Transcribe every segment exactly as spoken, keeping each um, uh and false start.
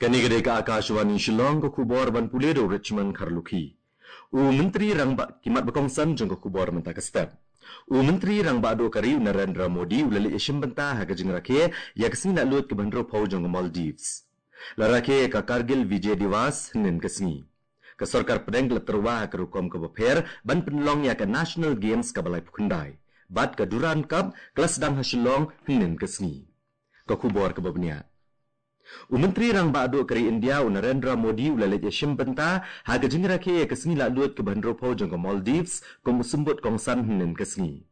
Kane ka dei ka Akashvani Shillong, ka khubor ban pule da u Richmond Kharlukhi. U Myntri Rangbah, ki mat ba kongsan jong ka khubor mynta ka step. U Myntri Rangbah Duh ka ri u Narendra Modi u la leit ïashim bynta ha ka jingrakhe ïa ka sngi laitluid kaba hynriewphew jong ka Maldives. La rakhe ïa ka Kargil Vijay Diwas hynnin ka sngi. Ka sorkar pdeng ka la tyrwa ha ka rukom kaba pher ban pynlong ïa ka National Games kaba laiphew khyndai bad ka Durand Cup ka la sdang ha Shillong hynnin ka sngi. Ka khubor kaba bniah. U Myntri Rangbah Duh ka ri India u Narendra Modi u la leit ïashim bynta ha ka jingrakhe ïa ka sngi laitluid kaba hynriewphew jong ka Maldives kum u symbud kongsan hynnin ka sngi.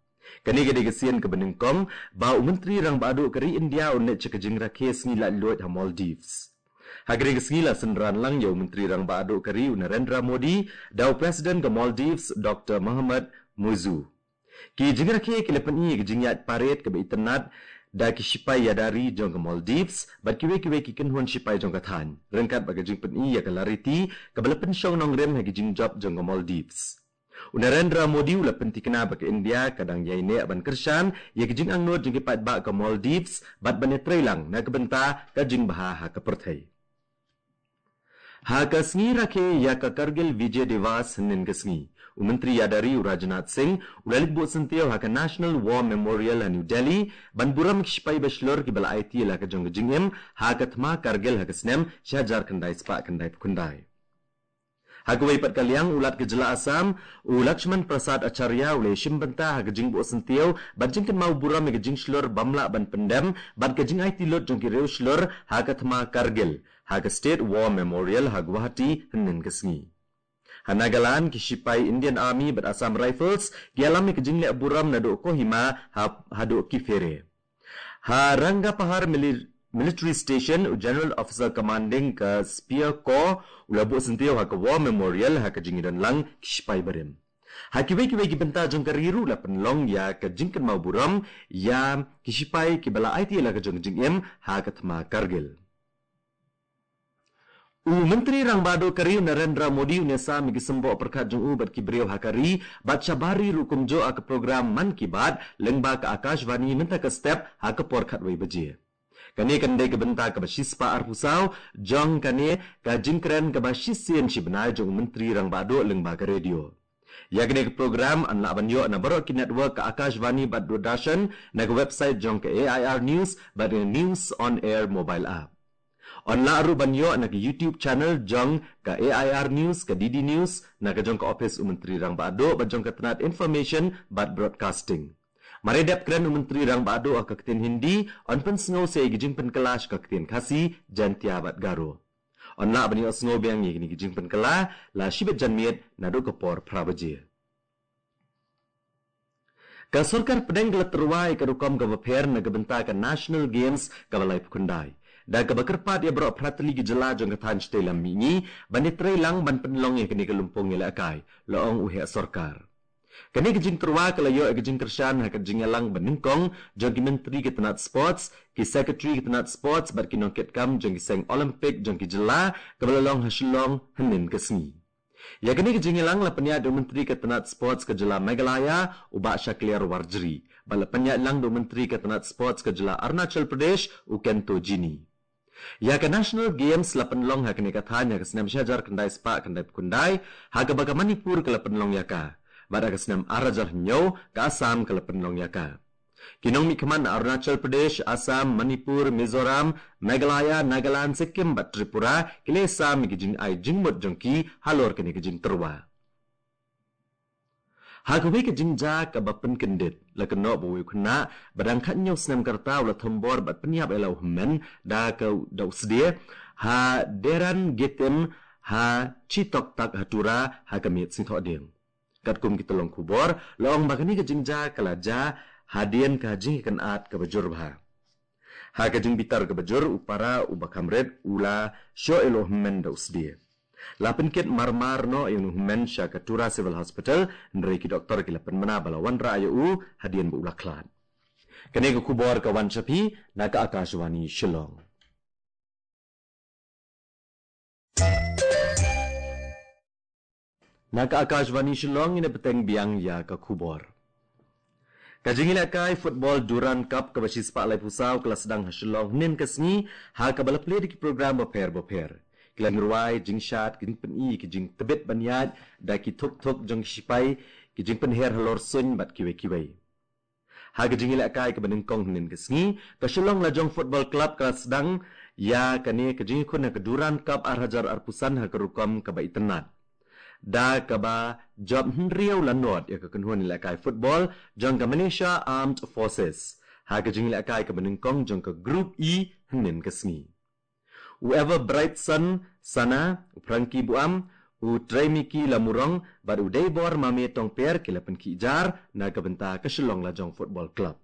Kane ka dei ka sien kaba nyngkong ba u Myntri Rangbah Duh ka ri India un leit sha ka jingrakhe sngi laitluid ha Maldives. Ha kane ka sngi la synran lang ïa u Myntri Rangbah Duh ka ri u Narendra Modi da u President ka Maldives Doctor Mohamed Muizzu. Ki jingrakhe ki la pyni ïa ka jingïaid parade kaba itynnad da ki shipai ïada ri jong ka Maldives bad kiwei kiwei ki kynhun shipai jong ka thaiñ, ryngkat bad ka jingpyni ïa ka lariti kaba la pynshong nongrim ha ki jingjop jong ka Maldives. U Narendra Modi u la pynthikna ba ka India ka dang ïaineh ban kyrshan ïa ka jingangnud jong ki paidbah ka Maldives bad ban ïatreilang na ka bynta ka jingbha ha ka pyrthei. Ha ka sngi rakhe ïa ka Kargil Vijay Diwas hynnin ka sngi, u Myntri ïada ri u Rajnath Singh u la leit buh syntiew ha ka National War Memorial ha New Delhi ban burom ki shipai ba shlur kiba la aiti ïa la ka jong ka jingim ha ka thma Kargil ha ka snem shi hajar khyndai spah khyndaiphew khyndai. Ha kawei pat ka liang, u Lat ka jylla Assam u Lakshman Prasad Acharya u la ïashim bynta ha ka jingbuh syntiew bad jingkynmaw burom ïa ka jingshlur bym lah ban pyndem bad ka jingaiti lut jong ki riewshlur ha ka thma Kargil ha ka State War Memorial ha Guwahati hynnin ka sngi. Ha Nagaland, ki shipai Indian Army bad Assam Rifles ki ïalam ïa ka jingleh burom naduh Kohima ha, haduh Kiphire. Ha Rangapahar Mili-, Military Station, u General Officer Commanding ka Spear Corps u la buh syntiew ha ka War Memorial ha ka jingïadon lang ki shipai barim. Ha kiwei kiwei ki bynta jong ka ri ruh la pynlong ïa ka jingkynmaw burom ïa ki shipai kiba la aiti ïa la ka jong ka jingim ha ka thma Kargil. U Myntri Rangbah Duh ka ri u Narendra Modi un ïasam ïa ki symboh pyrkhat jong u bad ki briew ha ka ri bad shabar ri ruh kumjuh ha ka program Mann Ki Baat lyngba ka Akashvani mynta ka step ha ka por khatwei baje. Kane kan dei ka bynta kaba shispah arphew saw jong kane ka jingkren kaba shisien shi bnai jong u Myntri Rangbah Duh lyngba ka radio. Ïa kane ka program yn lah ban ïoh na baroh ki network ka Akashvani bad Doordarshan, na ka website jong ka A I R News bad na News on Air mobile app. Yn lah ruh ban ïoh na ka YouTube channel jong ka A I R News, ka D D News, na ka jong ka ophis u Myntri Rangbah Duh bad jong ka tnat Information bad Broadcasting. Mar ïa dep kren u Myntri Rangbah Duh ha ka ktien Hindi, yn pynsngew sa ïa ki jingpynkylla sha ka ktien Khasi, Jaintia bad Garo. Yn lah ban ïohsngew biang ïa kine ki jingpynkylla la shibit janmiet naduh ka por phra baje. Ka sorkar pdeng ka la tyrwa ïa ka rukom kaba pher na ka bynta ka National Games kaba laiphew khyndai, da kaba kyrpad ïa baroh phra tylli ki jylla jong ka thaiñ shatei lam mihngi ban ïatreilang ban pynlong ïa kane ka lympung ïalehkai, la ong u heh sorkar. Kane ka jingtyrwa ka la ïoh ïa ka jingkyrshan ha ka jingïalang ba nyngkong jong ki myntri ka tnat sports, ki secretary ka tnat sports bad ki nongkitkam jong ki seng Olympic jong ki jylla, kaba la long ha Shillong hynnin ka sngi. Ïa kane ka jingïalang la pynïaid da u Myntri ka tnat sports ka jylla Meghalaya, u Bah Shakliar Warjri, bad la pynïaid lang da u Myntri ka tnat sports ka jylla Arunachal Pradesh, u Kento Jini. Ïa ka National Games la pynlong ha kane ka thaiñ ha ka snem shi hajar khyndai spah khyndaiphew khyndai, ha kaba ka Manipur ka la pynlong ïa ka, bad ha ka snem ar hajar hynñiew ka Assam ka la pynlong ïa ka. Ki nongmihkhmat na Arunachal Pradesh, Assam, Manipur, Mizoram, Meghalaya, Nagaland, Sikkim bad Tripura ki la ïasam ïa ki jingai jingmut jong ki halor kane ka jingtyrwa. Ha kawei ka jingjia kaba pynkyndit, la kynnoh ba uwei u khynnah ba dang khathynñiew snem ka rta u la thombor bad pynïap ïa la u hynmen da ka, da u sdie ha Deran Getem ha Chitoktak ha Tura ha ka miet Sngi-thohdieng. Katkum ki tyllong khubor, la ong ba kane ka jingjia ka la jia hadien ka jingïakynad kaba jur bha. Ha ka jingbitar kaba jur, u para uba kham rit u la shoh ïa la u hynmen da u sdie. La pynkit marmar noh ïa u hynmen sha ka Tura Civil Hospital, hynrei ki doktor ki la pynbna ba la wanrah ïa u hadien ba u la khlad. Kane ka khubor ka wan sha phi na ka Akashvani Shillong. Na ka Akashvani Shillong, ngin ïa bteng biang ïa ka khubor. Ka jingïalehkai football Durand Cup kaba shispah laiphew saw ka la sdang ha Shillong hynnin ka sngi, ha kaba la plie da ki program bapher bapher. Ki la nang rwai jingshad, ki jingpyni, ki jingtbit ban ïaid da ki thuk thuk jong ki shipai, ki jingpynher halor suiñ bad kiwei kiwei. Ha ka jingïalehkai kaba nyngkong hynnin ka sngi, ka Shillong Lajong Football Club ka la sdang ïa kane ka jingïakhun ha ka Durand Cup ar hajar arphew san ha ka rukom kaba itynnad. Da kaba jop hynriew la nod ïa ka kynhun ïalehkai football jong ka Malaysia Armed Forces ha ka jingïalehkai kaba nyngkong jong ka Group E hynnin ka sngi. U Everbrightson Sana, u Frankie Buam, u Tremiki Lamurong bad u Deibor Mame Tongper ki la pynkhih jar na ka bynta ka Shillong Lajong Football Club.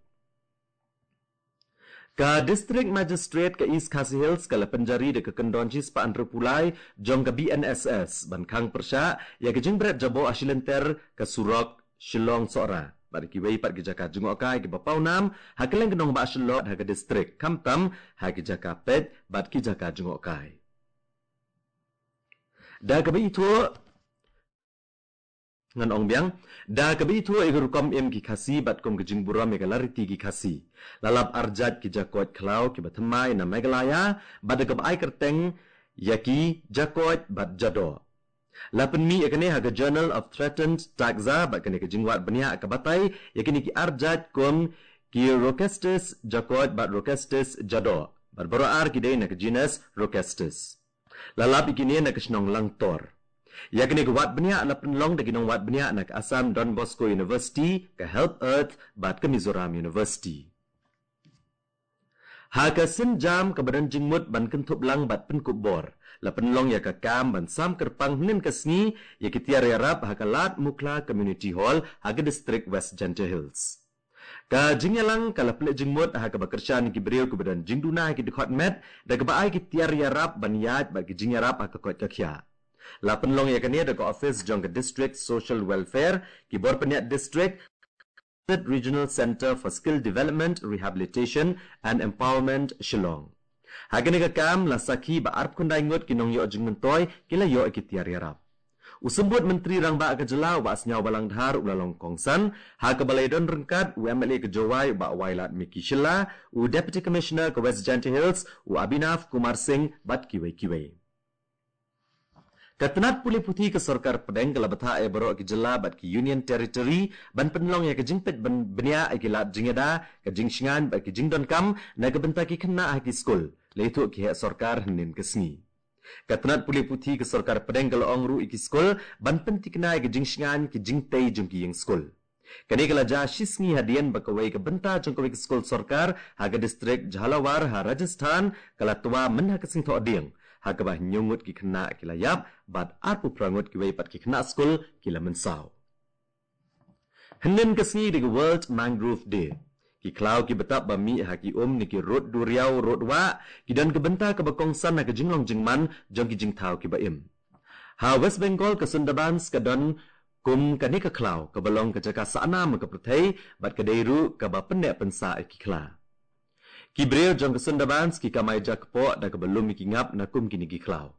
Ka District Magistrate ka East Khasi Hills ka la pynjari da ka kyndon shispah hynriewphew lai jong ka B N S S ban khang pyrshah ïa ka jingbret jaboh ha shilynter ka surok Shillong Sohra bad kiwei pat ki jaka jngohkai kiba pawnam ha kylleng ka nongbah Shillong ha ka district, khamtam ha ki jaka peit bad ki jaka jngohkai. Da kaba ithuh, ngan ong biang, da kaba ithuh ïa ka rukom im ki Khasi bad kum ka jingburom ïa ka lariti ki Khasi, la lap arjait ki jakoit khlaw kiba thymmai na Meghalaya bad da kaba ai kyrteng ïa ki jakoit bad jadoh. La pynmih ïa kane ha ka Journal of Threatened Taxa bad kane ka jingwad bniah ka batai ïa kine ki arjait kum ki Rhocestes jakoit bad Rhocestes jadoh, bad baroh ar ki dei na ka genus Rhocestes. La lap ïa kine na ka shnong Langtor. Ïa kane ka wad bniah la pynlong da ki nongwad bniah na ka Assam Don Bosco University, ka Help Earth bad ka Mizoram University. Ha ka sienjam kaba don jingmut ban kynthup lang bad pynkup bor, la pynlong ïa ka kam ban sam kyrpang hynnin ka sngi ïa ki tiar ïarap ha ka Lad Mukhla Community Hall ha ka district West Jaintia Hills. Ka jingïalang ka la pynleit jingmut ha kaba kyrshan ïa ki briew kiba don jingduna ha ki dkhot met da kaba ai ki tiar ïarap ban ïaid bad ki jingïarap ha ka koit ka khiah. La pynlong ïa kane da ka office jong ka District Social Welfare, ki bor pynïaid district, Regional Centre for Skill Development, Rehabilitation and Empowerment, Shillong. Ha kane ka kam la sakhi ba arphew khyndai ngut ki nongïoh jingmyntoi ki la ïoh ïa ki tiar ïarap. U Symbud Myntri Rangbah ka jylla, u Bah Sniawbhalang Dhar, u la long kongsan ha kaba la ïadon ryngkat u M L A ka Jowai, u Bah Wailadmiki Shylla, u Deputy Commissioner ka West Jaintia Hills, u Abhinav Kumar Singh bad kiwei kiwei. Ka tnat pule puthi ka sorkar pdeng ka la bthah ïa baroh ki jylla bad ki Union Territory ban pynlong ïa ka jingpeit bniah ïa ki lad jingïada, ka jingshngaiñ bad ki jingdonkam na ka bynta ki khynnah ha ki skul, la ïathuh ki heh sorkar hynnin ka sngi. Ka tnat pule puthi ka sorkar pdeng ka la ong ruh ïa ki skul ban pynthikna ïa ka jingshngaiñ ki jingtei jong ki ïing skul. Kane ka la jia shi sngi hadien ba kawei ka bynta jong kawei ka skul sorkar ha ka district Jhalawar ha Rajasthan ka la twa myn ha ka sngi Thohdieng, ha kaba hynñiew ngut ki khynnah ki la ïap bad arphew phra ngut kiwei pat ki khynnah skul ki la mynsaw. Hynnin ka sngi dei ka World Mangrove Day. Ki khlaw ki btap ba mih ha ki um ne ki rud duriaw rud wah ki don ka bynta kaba kongsan ha ka jinglong jingman jong ki jingthaw kiba im. Ha West Bengal ka Sundarbans ka don kum kane ka khlaw kaba long ka jaka sahnam ka pyrthei bad ka dei ruh kaba pynneh pynsah ïa ki khla. Ki briew jong ka Sundarbans ki kamai jakpoh da kaba lum ïa ki ngap na kum kine ki khlaw.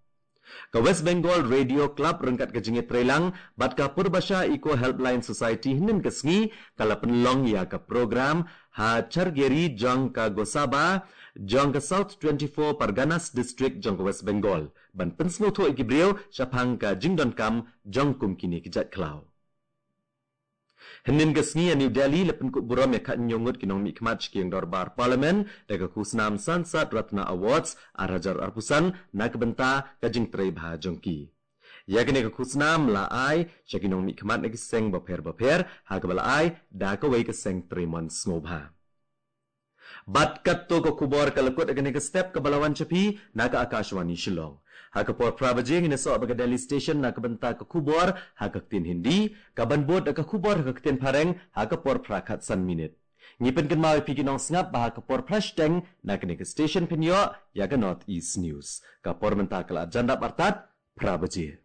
Ka West Bengal Radio Club ryngkat ka jingïatreilang bad ka Purbasha Eco Helpline Society hynnin ka sngi ka la pynlong ïa ka program ha Chargeri jong ka Gosaba jong ka South twenty-four Parganas District jong ka West Bengal ban pynsngewthuh ïa ki briew shaphang ka jingdonkam jong kum kine ki jait khlaw. Hynnin ka sngi ha New Delhi la pynkup burom ïa khathynñiew ngut ki nongmihkhmat sha ki ïing dorbar Parliament da ka khusnam Sansad Ratna Awards ar hajar arphew san na ka bynta ka jingtrei bha jong ki. Ïa kane ka khusnam la ai sha ki nongmihkhmat na ki seng bapher bapher ha kaba la ai da kawei ka seng trei mon sngewbha. Bad katto ka khubor ka la kut ha kane ka step kaba la wan sha phi na ka Akashvani Shillong. Ha ka por phra baje ngin ïasoh bad ka Delhi Station na ka bynta ka khubor ha ka ktien Hindi, kaban bud da ka khubor ha ka ktien Phareng ha ka por phra khatsan minit. Ngi pynkynmaw ïa phi ki nongsngap ba ha ka por phra shiteng na kane ka station phin ïoh ïa ka North East News. Ka por mynta ka la jan dap artat phra baje.